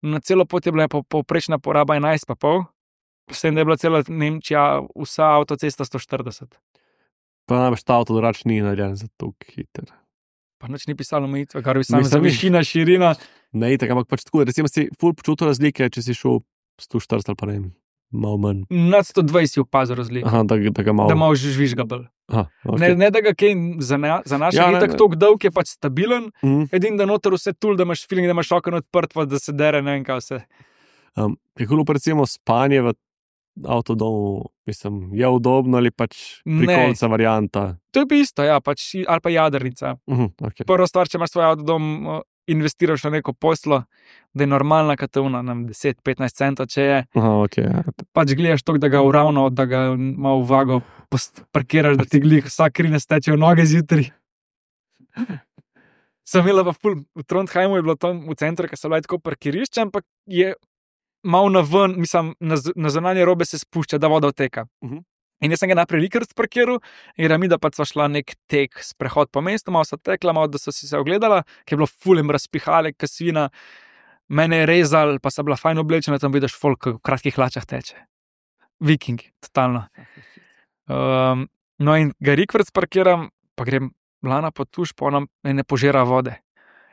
na celo pot je bila povprečna poraba 11,5, s tem, da je bila cela Nemčija, vsa avtocesta 140. Pa najbrž ta avto drugač ni narejen za to hiter. Pa nič ni pisalo omejitve, kar bi sam za Mislim, višina, širina. Ne, tako, ampak pač tako, recimo si ful počutil razlike, če si šel 140 ali pa ne vem, malo manj. Nad 120 si opazil razliko. Aha, da ga malo... Da malo žvižga bolj. Aha, okay. Ne, da ga kaj za naše Ja, je ne, tako ne. dolg dolg, je pač stabilen, Mhm. edin da noter vse tul, da imaš feeling, da imaš okno odprt, pa da se dere, ne vem kaj vse. Kako pa recimo spanje v avtodomu, mislim, je udobno ali pač Ne. prikolca varianta? To je pa isto, ja, pač, ali pa jadrnica. Okay. Prva stvar, če imaš svoj avtodom, investiraš v neko poslo, da je normalna katuna, 10-15 centov, če je, Aha, okay, ja. pač gledaš to, da ga uravno, da ga malo vago parkiraš, da ti glih vsak krine steče v noge zjutraj. Sem imela pa ful, v Trondheimu je bilo tam v centru, ker so bile tako parkirišče, ampak je malo na ven, mislim, na zunanje robe se spušča, da voda odteka. In jaz sem ga najprej likrt parkiral, in Ramida pa sva šla nek tek, sprehod po mestu, malo so tekla, malo da so si se ogledala, ki je bilo fulem razpihale, kasvina, mene je rezal, pa so bila fajn oblečena, tam vidiš folk v kratkih hlačah teče. Vikingi, totalno. No in ga rikvrt parkiram, pa grem lana po tuš, pa ona ne požira vode.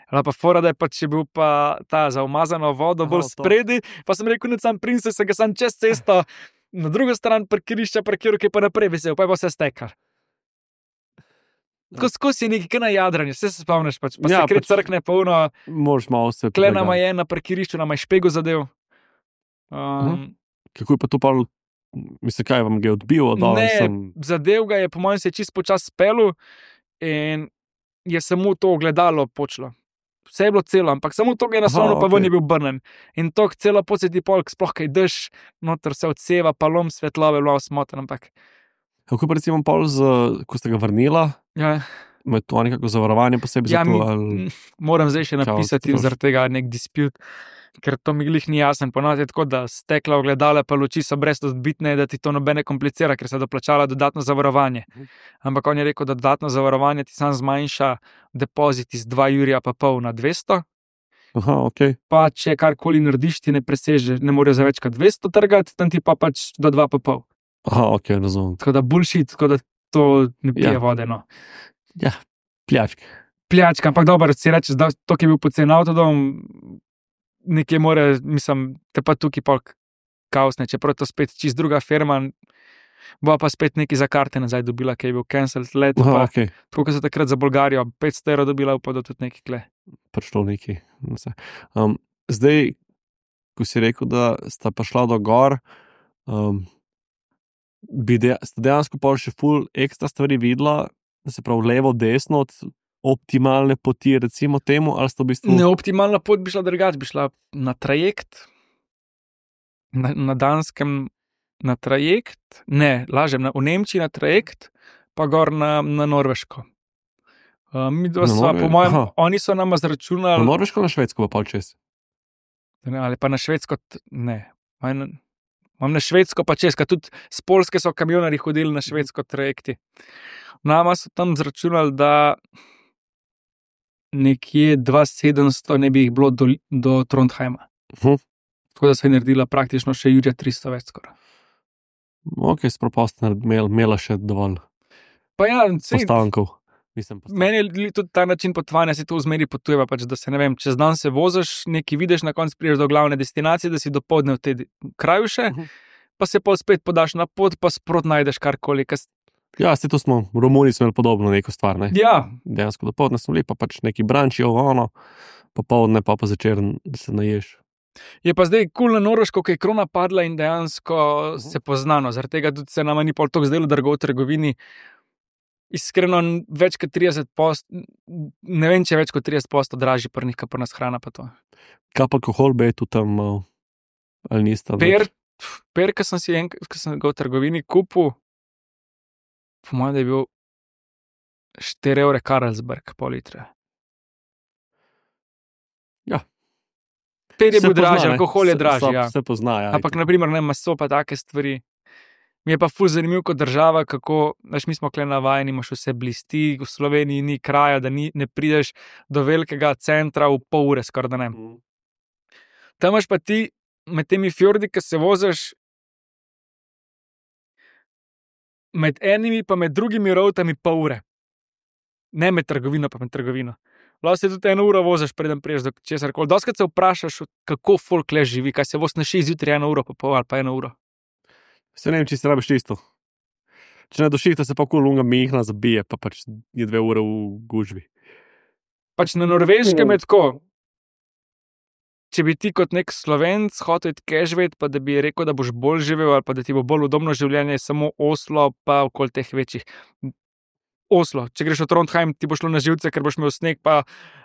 Ali pa fora, da je pač bil pa ta za umazano vodo bolj to. spredi, pa sem rekel, da sem prince, se ga sam čez cesto, na drugo stran parkirišča parkiral, ki je pa naprej vesel, pa je pa vse stekal. Tako skozi je nekaj na jadranju, vse se spomniš, pač, pa Ja, se kret pač- crkne polno, Moraš malo se... klena je na parkirišču, nama je špego zadev. Kako je pa to pa, mislim, kaj vam ga je odbil od dol? Ne, zadev ga je, po mojem, se je čist počas spelu in je samo to ogledalo počlo. Vse je bilo celo, ampak samo to ga je naslovno, pa ven je bil brnen. In to celo pot se ti polk, sploh kaj dež, noter se odseva, pa lom svetlove, bilo smoten, ampak Kako pa recimo pol, ko ste ga vrnila, ja, ima to nekako zavarovanje posebej za ja, to? Ali... moram zdaj še Čau, napisati stroški. zaradi tega nek disput, ker to mi glih ni jasen. Ponovadi je tako, da stekla ogledala pa luči so brez odbitne, da ti to nobene komplicira, ker se doplačala dodatno zavarovanje. Ampak on je rekel, da dodatno zavarovanje ti sam zmanjša depozit iz 2,5 € na 200. Aha, ok. Pa če karkoli narediš, ti ne preseže, ne more za več kot 200 trgati, tam ti pa pač do 2,5. Aha, ok, razumem. Tako da bullshit, tako da to ne pije Ja. vode. No. Ja, pljačke. Pljačka, ampak dobro, si rečeš, da to, ki je bil pocen avtodom, nekje more, mislim, te pa tukaj pol kaosne, čeprav je to spet čist druga firma. Bo pa spet neki za karte nazaj dobila, ki je bil cancelled let. Aha, Pa, okay. tako kot so takrat za Bolgarijo, 500 evrov dobila, pa da tudi neki kle. Prišlo neki. Zdaj, ko si rekel, da sta prišla do gor, sta dejansko pol še ful ekstra stvari videla, da se pravi levo, desno od optimalne poti, recimo temu, ali sta v bistvu... Neoptimalna pot bi šla drugače, bi šla na trajekt, na Danskem na trajekt, ne, lažem, v Nemčiji na trajekt, pa gor na Norveško. Mi dva sva, po mojem, oni so nama zračunali... Na Norveško, na Švedsko pa pol čez? Ali pa na Švedsko, ne. Imam na Švedsko pa čez, tudi z Poljske so kamionari hodili na Švedsko trajekti. Nama so tam zračunali, da nekje 2700 ne bi jih bilo do Trondheima. Tako da se je naredila praktično še Jurja 300 več skoraj. Ok, sproposta imela še dovolj pa ja, postankov. Meni je tudi ta način potovanja, se to v zmeri potujeva, pač, da se ne vem, čez dan se voziš, nekaj vidiš, na koncu prideš do glavne destinacije, da si dopoldne v tej kraju še, pa se pa spet podaš na pot, pa sprot najdeš karkoli. Ja, to smo, Romuni smo imeli podobno neko stvar, ne? Ja. Dejansko dopoldne smo bili, pa pač neki branči, popoldne pa začer, da se naješ. Je pa zdaj kul na Norveško, ko je krona padla in dejansko se poznano, zaradi tega tudi se nama ni pol toliko zdelo drago v trgovini. Iskreno, več kot 30%, ne vem, če je več kot 30% dražji pri njih, pa nas hrana pa to. Kaj pa alkohol bi tu tam mal, ali nista? Per, ko sem ga v trgovini kupil, po mojem, da je bil 4 evre Carlsberg, pol litre. Ja. Per je bil dražji, alkohol je dražji, ja. Se pozna, ja. Ampak, naprimer, ne, maso pa take stvari. Mi je pa ful zanimiv kot država, kako, mi smo kle navajeni, imaš vse blisti, v Sloveniji ni kraja, da ne prideš do velikega centra v pol ure, skoraj da ne. Tam imaš pa ti, med temi fjordi, ki se voziš, med enimi pa med drugimi rovtami pol ure. Ne med trgovino pa med trgovino. Lahko se tudi 1 uro voziš, preden priješ do česarkoli. Doskrat se vprašaš, kako folk le živi, kaj se voz na 6 zjutraj 1 uro pa pol ali pa 1 uro. Se ne vem, če si rabiš čisto. Če ne do šihta se pa lunga mihna zabije, pa pač je 2 ure v gužvi. Pač na Norveškem je tako. Če bi ti kot nek Slovenc hotel živeti, pa da bi rekel, da boš bolj živel ali pa da ti bo bolj udobno življenje, je samo Oslo pa okoli teh večjih. Oslo, če greš v Trondheim, ti bo šlo na živce, ker boš imel sneg pa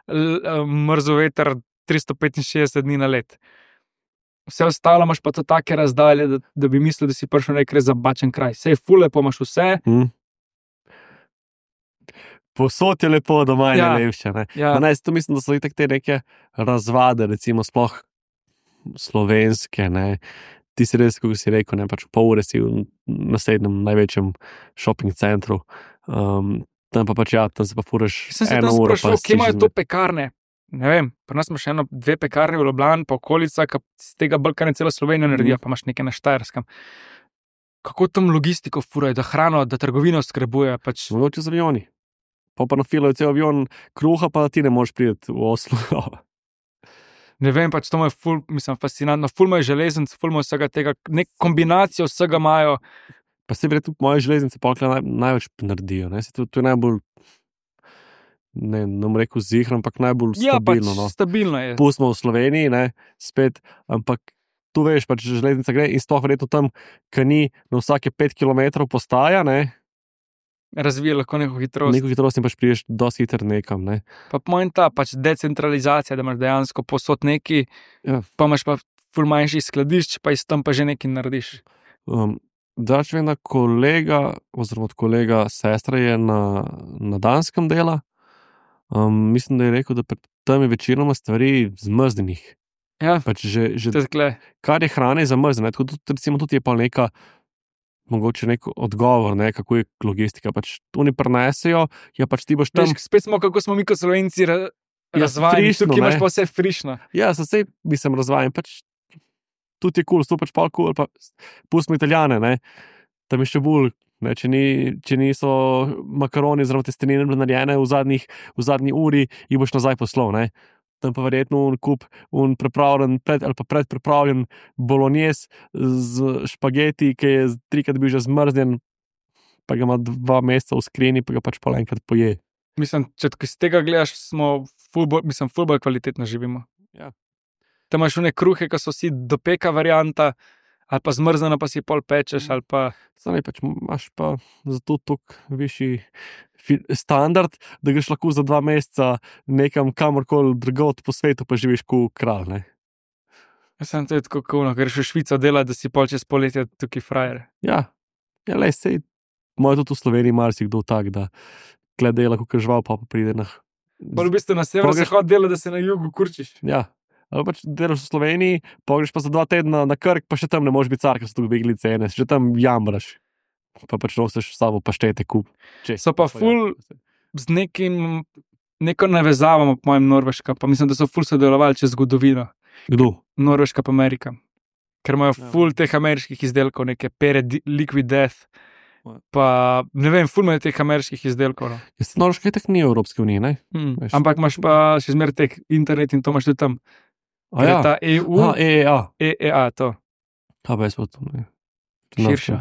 mrzel veter 365 dni na let. Vse ostalo imaš pa to take razdalje, da bi mislil, da si prišel nek res zabačen kraj. Sej ful lepo imaš vse. Posod je lepo, doma je najlepše. Ja. To mislim, da so te neke razvade, recimo sploh slovenske. Ne. Ti si res, kako si rekel, ne, pač v pol ure si v naslednjem največjem shopping centru. Tam pa pač tam se pa furaš 1 uro. Sem se tam sprašal, kje imajo to pekarne? Ne vem, pri nas imaš 2 pekarne v Ljubljani, pa okolica, ki z tega Balkana celo Slovenijo naredijo, pa imaš nekaj na Štajerskem. Kako tam logistiko furajo, da hrano, da trgovino skrbuje? Pač... Mogoče z avioni. Pa nafilajo cel avion kruha, pa ti ne moreš priti v Oslo. Ne vem, pač to je ful, mislim, fascinantno. Ful imajo železnic, ful imajo vsega tega, nek kombinacijo vsega imajo. Pa se verjetno moje železnice pa največ naredijo. Ne? To je najbolj... Ne bom rekel zihro, ampak najbolj stabilno. Ja, pač stabilno je. Pustimo v Sloveniji, ne, spet, ampak tu veš, pač železnica gre in sploh verjetno tam, ki ni na vsake 5 km postaja, ne. Razvija lahko neko hitrost. Neko hitrost in pač priješ dosti hitro nekam, ne. Pa pomen ta, pač decentralizacija, da imaš dejansko posod neki, pa imaš pa ful manjši skladišč, pa iz tam pa že nekaj narediš. Dač vem, da kolega, oziroma od kolega sestra je na Danskem dela. Mislim, da je rekel, da tam je večinoma stvari zmrzdenih. Ja, pač že kar je hrane zamrzne. Recimo tudi je pa mogoče nek odgovor, ne, kako je logistika. Pač oni prenesejo, ja pač ti boš tam... Spet smo, kako smo mi kot Slovenci razvajeni, tukaj imaš pa vse frišno. Ja, saj mislim razvajen, pač tudi je kul, to pač pa kul, pa pustimo Italijane, ne. Tam je še bolj... Ne, če niso makaroni oziroma testenine narejene v zadnji uri, jih boš nazaj poslal. tam pa verjetno pripravljen, ali pa predpripravljen bolognese z špageti, ki je 3-krat bil že zmrznjen, pa ga ima 2 meseca v skrini, pa ga pač pol enkrat poje. Mislim, če iz tega gledaš, smo ful bolj kvalitetno živimo. Ja. Tam imaš one kruhe, ki so vsi dopeka varianta, ali pa zmrznjeno, pa si pol pečeš, ali pa... Sami pač imaš pa zato toliko višji standard, da greš lahko za 2 meseca nekam kamorkoli drugot po svetu, pa živiš kot kralj, ne? Jaz sem to je tako cool, greš v Švico delati, da si pol čez poletje tukaj frajer. Ja, lej, sej, moj tudi v Sloveniji marsikdo tak, da tle dela, kot žval, pa pride na... Bolj v bistvu na sever-zahod dela, da se na jugu kurčiš. Ja. Ali pač delaš v Sloveniji, pogreš pa za 2 tedna na Krk, pa še tam ne moreš biti car, ker so tu dvigli cene, že tam jamraš. Pa pač nosiš s sabo paštete kup. So pa ful z neko navezavo, po mojem, Norveška, pa mislim, da so ful sodelovali čez zgodovino. Kdo? Norveška pa Amerika. Ker imajo ful teh ameriških izdelkov, neke pere Liquid Death, pa ne vem, ful imajo teh ameriških izdelkov. No. Jaz Norveška je tak ni v Evropski uniji, ne? Ampak imaš pa še zmer tek internet in to imaš tudi tam. Ja. Ta EU, EEA, to. Kaj pa jaz pa to, ne? Širša.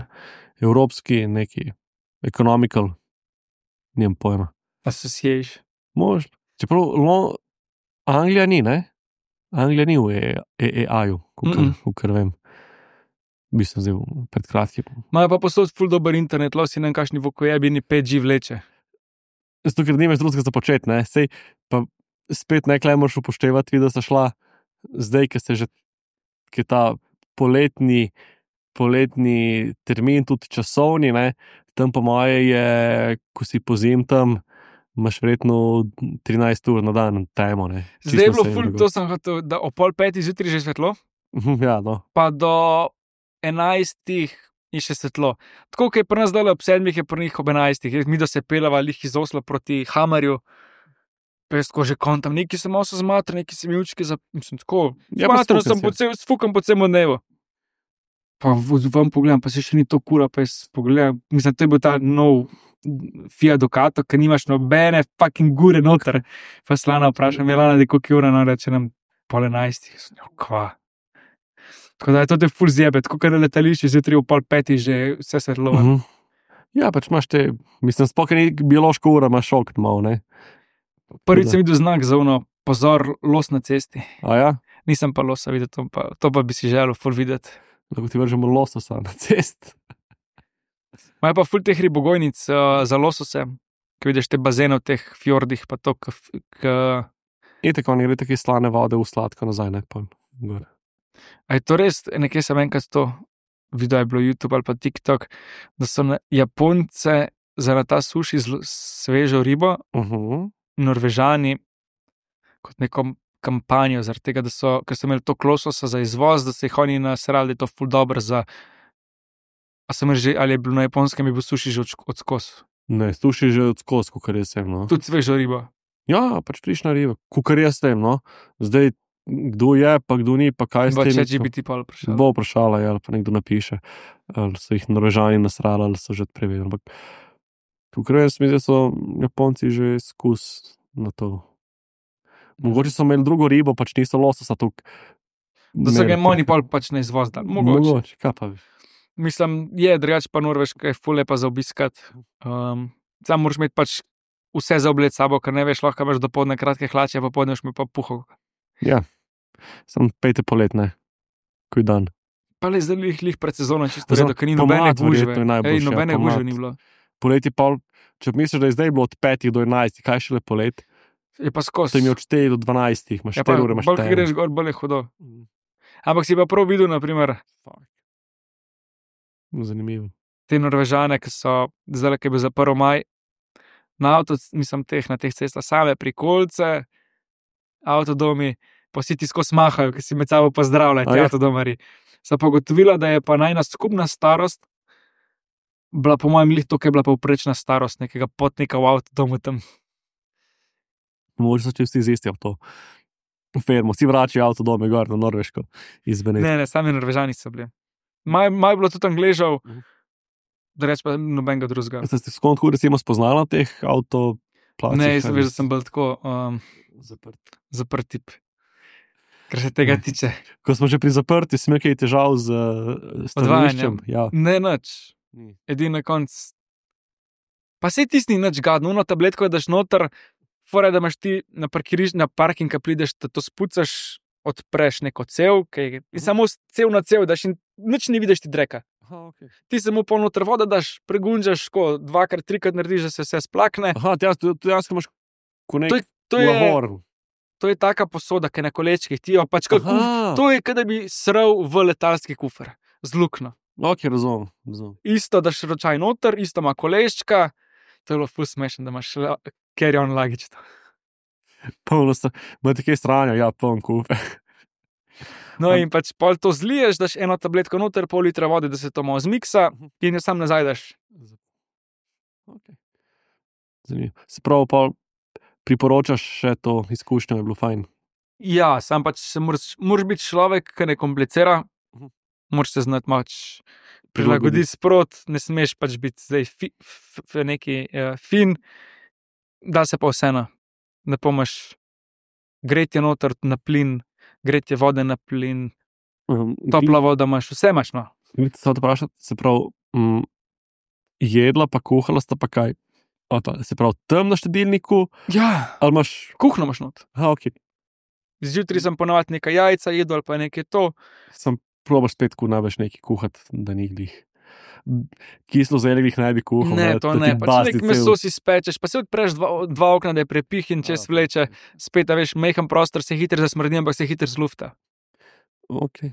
Evropski neki, economical, nijem pojma. Association. Možno. Čeprav Anglija ni, ne? Anglija ni v EEA-ju, kukor vem. Mislim, zdaj pred kratkim. Imajo pa posod ful dober internet, lo si nam kakšni vokojebini 5G vleče. Zato, ker nimaš drugega za početi, ne? Sej pa spet nekaj moraš upoštevati, da sta šla zdaj, ki se že ki ta poletni termin, tudi časovni, ne? Tam po moje je, ko si pozim tam, imaš verjetno 13 ur na dan temo, ne? Zdaj je bilo ful, to sem hotel, da o 4:30 zjutraj že svetlo, Ja, no. pa do 11 je še svetlo. Tako, kot je pri nas dole ob 7, je pri njih ob 11. Mi da se pelava lih iz Osla proti Hamarju, pesko že kontam, neki sem malo zmatran, neki sem jučki, mislim, tako, zmatran sem, sfukam po celem dnevu. Pa vam pogledam, pa se še ni to kura, pa jaz pogledam, mislim, to je bil ta nov Fiat Ducato, ker nimaš nobene fucking gure noter. Pa Slana vprašam, je Lana, da koliko je ura, no, reče nam 10:30. Kva? Tako da je to te ful zjebe, tako kot na letališču, zjutraj v 4:30 že vse svetlo. Ja, pač imaš te, mislim, sploh ni biološko ura, imaš šok malo, ne? Prvič sem videl znak za ono, pozor, los na cesti. A ja? Nisem pa losa videl, to pa bi si želel ful videti. Lahko ti vržemo lososa na cest. Imajo pa ful teh ribogojnic za losose, ki vidiš te bazene v teh fjordih, pa to, In tako, oni gre take slane vode v sladko nazaj, ne? A je to res, nekje sem enkrat to video je bilo YouTube ali pa TikTok, da so Japonce za na ta suši svežo ribo, Norvežani kot neko kampanjo, zaradi tega, ker so imeli to lososa za izvoz, da se jih oni nasrali, da je to ful dobro za... Ali je bilo na Japonskem, je bil suši že odskos? Ne, suši že odskos, kukor jaz sem, no. Tudi svežo ribo? Ja, pač frišna riba, kukor jaz sem, no. Zdaj, kdo je, pa kdo ni, pa kaj s tem... Če bi ti pa vprašala. Bo vprašala, ali pa nekdo napiše, ali so jih Norvežani nasrali, ali so že prevedeli. Ampak kukor jaz mislim, da so Japonci že skus na to. Mogoče so imeli drugo ribo, pač niso lososa tukaj. Da so ga oni pač ne izvozdali. Mogoče, kaj pa bi. Mislim, je drugače pa Norveška je ful lepa za obiskat. Sam moraš imeti pač vse za obled sabo, ker ne veš, lahko imaš dopoldne kratke hlače, pa podneš mi pa puho. Ja, sam pejte polet, ne? Kuj dan. Pa le zdaj lih pred sezono čisto redo, ker ni nobene gužve. Nobene gužve ni bilo. Poleti pa, če misliš, da je zdaj bilo od 5 do 11, kaj šele polet? Je pa skos. To je mi od 4 do 12, imaš 4 ure, imaš 4. Bolj greš gor, bolj je hudo. Ampak si pa prav videl, naprimer, zanimivo. Te Norvežane, ki so zdaj, ki je bil za 1. maj, na avto, mislim, na teh cestah same prikolce, avtodomi, pa si ti skozi mahajo, ki si med sabo pozdravljajo, ti avtodomari. Sem pa ugotovila, da je pa najna skupna starost bila po mojem lih to, ki je bila povprečna starost nekega potnika v avtodomu tam. Mogoče so čisti izistil to. Fermo, vsi vračajo avtodome gor na Norveško iz Venecije. Ne, sami Norvežani so bili. Maj bilo tudi Angležev, da reč pa nobenega drugega. Ste se skonto recimo spoznala teh avtoplacih? Ne, jaz veš, da sem bil tako, Zaprt tip. Kar se tega tiče. Ko smo že pri zaprti, si imel kaj težav z stanoviščem? Ja. Ne, nič. Ni. Edini na koncu. Pa se tisti ni nič gadno, ono tabletko daš noter, fora da imaš ti na parking, ko prideš, da to spucaš, odpreš neko cev, in samo cev na cev daš in nič ne vidiš ti dreka. Aha, okay. Ti samo polnoter voda daš, pregunžaš, ko 2-krat, 3-krat narediš, da se vse splakne. Aha, ti jaz imaš ko nek To je, lavor. to je taka posoda, ki je na kolečkih, ti jo pač kot to je, kot da bi sral v letalski kufer, z luknjo. Ok, razumem. Isto daš ročaj noter, isto ima koleščka, to je bilo ful smešno, da imaš carry-on luggage. Polno sta, imate kaj stranja, ja, poln kupe. No in pač pol to zliješ, daš eno tabletko noter, pol litra vode, da se to malo zmiksa in jo sam nazaj daš. Okay. Zanimivo. Se pravi, pa priporočaš še to izkušnjo, je bilo fajn. Ja, sam pač moraš biti človek, ki ne komplicira, moraš se znati mač prilagoditi sprot, ne smeš pač biti zdaj neki fin, da se pa vseeno, ne pomaš gretje noter na plin, gretje vode na plin, topla voda imaš, vse imaš, no. Se vprašati, se pravi, jedla pa kuhala sta pa kaj? Se pravi, tam na štedilniku? Ja, Ali imaš... kuhno imaš not. Aha, ok. Zjutraj sem ponovadi nekaj jajca jedel ali pa nekaj to. Sem probaš spet, ko največ nekaj kuhati, da ni glih. Kislo zelje ne bi kuhal. Ne, to ne. Pač nek meso si spečeš, pa si odpreš dva okna, da je prepih in čez vleče. Spet, a veš, mehen prostor se hitro zasmrdi, ampak se hitro zlufta. Ok.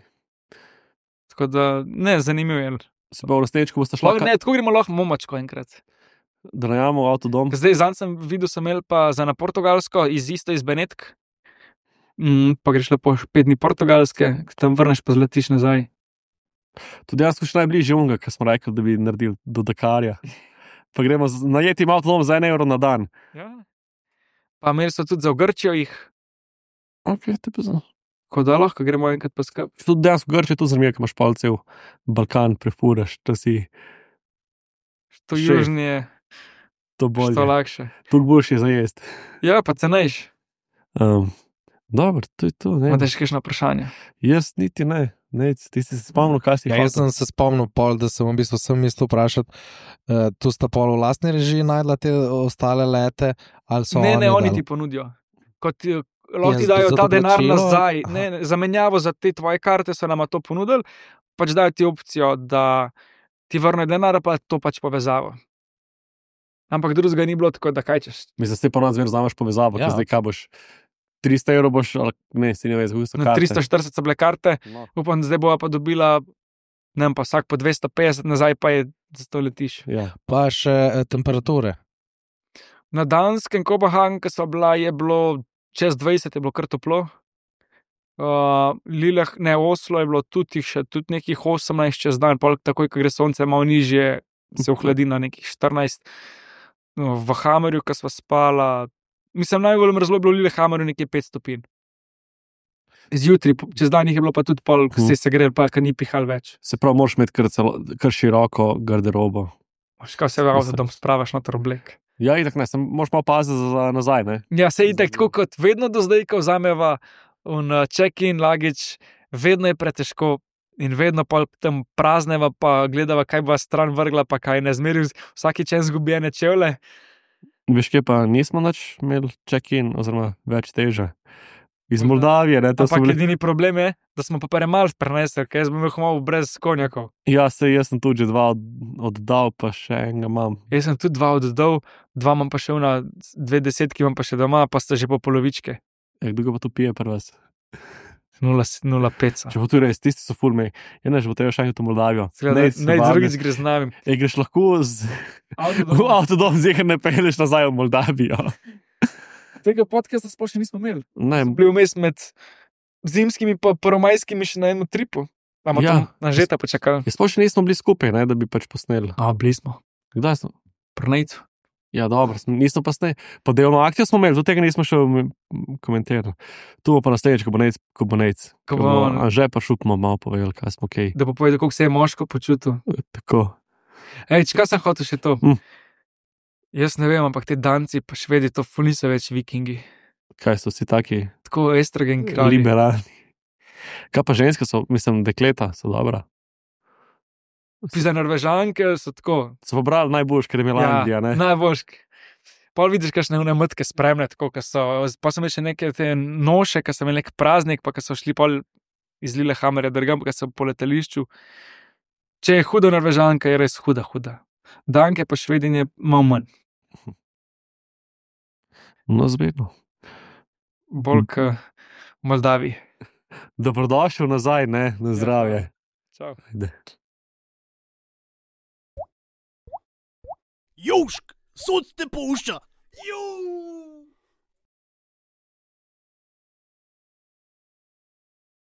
Tako da, ne, zanimivo je. Se pa v resničku boste šla... Ne, tako gremo lahko momačko enkrat. Da najamo avtodom. Zdaj, zanj sem videl, sem imel pa za na Portugalsko, isto iz Benetk. Pa greš lepo 5 dni Portugalske, tam vrneš pa zletiš nazaj. Tudi jaz sem še najbližje unga, ker smo rekli, da bi naredil do Dakarja. Pa gremo najeti avtodom za 1 evro na dan. Ja. Pa imeli so tudi za v Grčijo jih. Ok, te pa znam. Ko da lahko gremo enkrat pa skup. Tudi dejansko v Grčijo, tu zanimivo, ker imaš palcev Balkan, prefuraš, to si... To južni je... To bolje. To lakše. Tu boljše za jest. Ja, pa cenejš. Dobro, to je to. Imate še kakšno vprašanje? Jaz niti ne. Ti si se spomnil, kaj si jaz sem se spomnil, da sem v bistvu sem mislil vprašati, tu sta pol v lastni režiji najdla te ostale lete, ali so ne, oni ti ponudijo. Kot lahko ti dajo ta denar nazaj. Ne, zamenjavo za te tvoje karte so nama to ponudili, pač dajo ti opcijo, da ti vrne denar, pa to pač povezavo. Ampak drugega ni bilo tako, da kaj češ. Mislim, da se pa nadzmer vzameš povezavo, ker zdaj kaj boš 300 evrov boš, ali ne, si ne veš, kako so karte. 340 so bile karte, upam, zdaj bova pa dobila, ne vem, pa vsak po 250, nazaj pa je za to letiš. Ja. Pa še temperature. Na Danskem Kopenhagnu, ko sva bila, je bilo čez 20, je bilo kar toplo. Oslo je bilo tudi nekih 18 čez dan, takoj, ko gre sonce malo nižje, se ohladi na nekih 14. V Hamerju, ko sva spala, mislim, najbolj mrzlo je bilo v Lillehammerju nekje 5 stopinj. Zjutraj, čez dan jih je bilo pa tudi pol, ko se grel, pa ko ni pihal več. Se pravi, moraš imeti kar široko garderobo. Kaj se v avtodom spravaš noter oblek. Ja, itak ne, moraš malo paziti za nazaj, ne? Ja, se itak tako kot vedno do zdaj, ko vzameva check-in luggage, vedno je pretežko in vedno pa tam prazneva, pa gledava, kaj bo stran vrgla, pa kaj ne zmeri vsaki čas zgubljene čevlje. Veš, kje pa nismo nič imeli check-in, oziroma več teže. Iz Moldavije, ne? Ampak edini problem je, da smo pa premalo prenesli, ker jaz bom imel malo brez konjakov. Ja, jaz sem tudi že 2 oddal, pa še enega imam. Jaz sem tudi 2 oddal, 2 imam pa še 2 desetki imam pa še doma, pa sta že po polovičke. Kdo pa to pije pri vas? 0,5. Če bo tu res, tisti so ful mej. Ja, ne, že bo treba še enkrat v Moldavijo. Ne, drugič gre z nami. Greš lahko v avtodom, zdaj ne peleš nazaj v Moldavijo. Tega podcasta sploh še nismo imeli. Ne. Bil vmes med zimskimi pa prvomajskimi še na enem tripu. Imamo tam Anžeta počakali. Sploh še nismo bili skupaj, ne, da bi pač posneli. Bili smo. Kdaj smo? Prnejcu. Ja, dobro, nismo pa sneli. Pa delno akcijo smo imeli, do tega nismo še komentirali. Tu bo pa naslednjič, ko bo nejc. Anže pa šupmo malo povedal, kaj smo kaj. Da bo povedal, koliko se je moško počutil. Tako. Kaj sem hotel še to? Jaz ne vem, ampak te Danci pa Švedi to ful niso več vikingi. Kaj so vsi taki Tako estrogen kralji. liberalni? Kaj pa ženske so, mislim, dekleta so dobra. Za Norvežanke so tako. So pobrali najboljš, ker je Milandija, ne? Najboljši. Pol vidiš, kakšne mrtke spremne, tako, pa sem imel še neke te noše, ki so imeli nek praznik, pa so šli pol iz Lillehammerja drugam, pa so po letališču. Če je huda Norvežanka, je res huda. Danke pa Švedinje malo manj. No, zbegno. Bolj k Moldaviji. Dobrodošel nazaj, ne? Na zdravje. Čau. Ajde. Južk, sod te pušča.